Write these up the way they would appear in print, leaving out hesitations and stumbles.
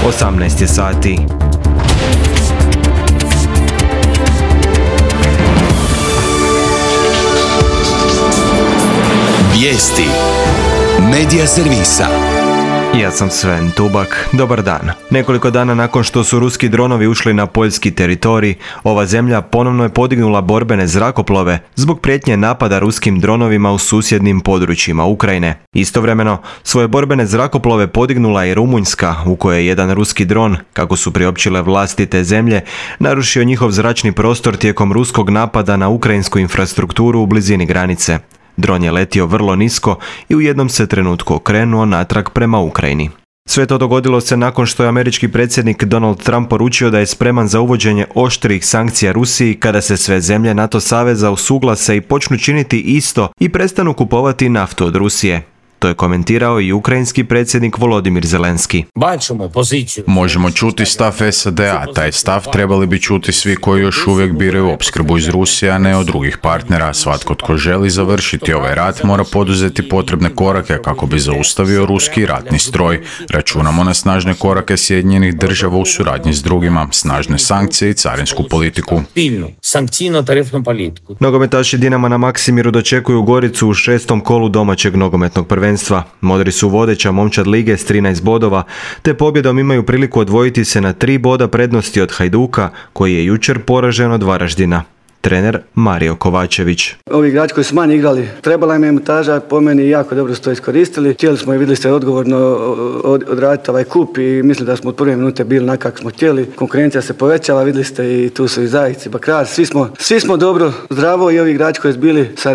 18 je sati. Vijesti Medija servisa. Ja sam Sven Tubak, dobar dan. Nekoliko dana nakon što su ruski dronovi ušli na poljski teritorij, ova zemlja ponovno je podignula borbene zrakoplove zbog prijetnje napada ruskim dronovima u susjednim područjima Ukrajine. Istovremeno, svoje borbene zrakoplove podignula i Rumunjska, u kojoj je jedan ruski dron, kako su priopćile vlasti te zemlje, narušio njihov zračni prostor tijekom ruskog napada na ukrajinsku infrastrukturu u blizini granice. Dron je letio vrlo nisko i u jednom se trenutku okrenuo natrag prema Ukrajini. Sve to dogodilo se nakon što je američki predsjednik Donald Trump poručio da je spreman za uvođenje oštrih sankcija Rusiji kada se sve zemlje NATO saveza usuglase i počnu činiti isto i prestanu kupovati naftu od Rusije. To je komentirao i ukrajinski predsjednik Volodimir Zelenski. Možemo čuti stav SAD-a, taj stav trebali bi čuti svi koji još uvijek biraju opskrbu iz Rusije, a ne od drugih partnera. Svatko tko želi završiti ovaj rat mora poduzeti potrebne korake kako bi zaustavio ruski ratni stroj. Računamo na snažne korake Sjedinjenih država u suradnji s drugima, snažne sankcije i carinsku politiku. Nogometaši Dinama na Maksimiru dočekuju Goricu u 6. kolu domaćeg nogometnog prvenstva. Modri su vodeća momčad lige s 13 bodova, te pobjedom imaju priliku odvojiti se na 3 boda prednosti od Hajduka, koji je jučer poražen od Varaždina. Trener Mario Kovačević. Ovi igrači koji su manje igrali, trebala im je montaža, po meni jako dobro su to iskoristili. Htjeli smo i vidjeli ste odgovorno odraditi ovaj kup i mislim da smo od prve minute bili na kako smo htjeli. Konkurencija se povećala, vidjeli ste i tu su i Zajic i Bakrar. Svi smo dobro, zdravo i ovi igrači koji su bili sa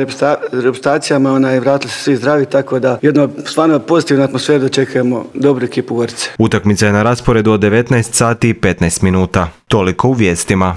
reprezentacijama, vratili se svi zdravi, tako da jedno stvarno pozitivnu atmosferu dočekujemo dobru ekipu Gorice. Utakmica je na rasporedu od 19 sati i 15 minuta. Toliko u vijestima.